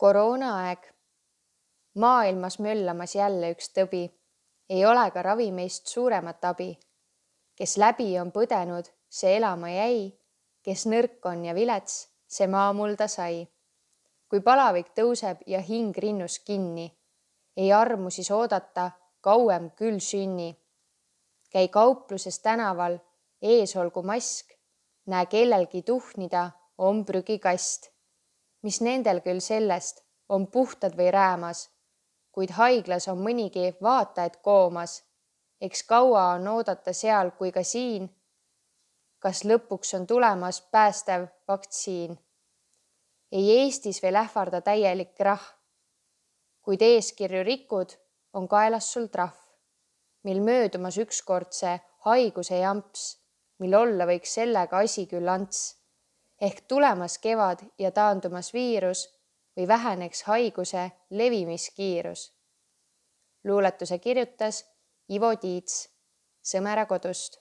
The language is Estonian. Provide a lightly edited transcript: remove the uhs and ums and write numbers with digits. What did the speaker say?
Koroonaaeg. Maailmas möllamas jälle üks tõbi. Ei ole ka ravimeist suuremat abi. Kes läbi on põdenud, see elama jäi. Kes nõrk on ja vilets, see maamulda sai. Kui palavik tõuseb ja hing rinnus kinni, ei armu siis oodata, kauem küll sünni. Käi kaupluses tänaval, ees olgu mask, näe kellelgi tuhnida, on prügikast. Mis nendel küll sellest, on puhtad või räämas, kuid haiglas on mõnigi vaata, et koomas. Eks kaua on oodata seal kui ka siin. Kas lõpuks on tulemas päästev vaktsiin? Ei Eestis veel ähvarda täielik krahh, kuid eeskirju rikud, on kaelas sul trahv. Mil möödumas ükskord see haiguse jamps, mil olla võiks sellega asi küll ants. Ehk tulemas kevad ja taandumas viirus või väheneks haiguse levimiskiirus. Luuletuse kirjutas Ivo Tiits Sõmera kodust.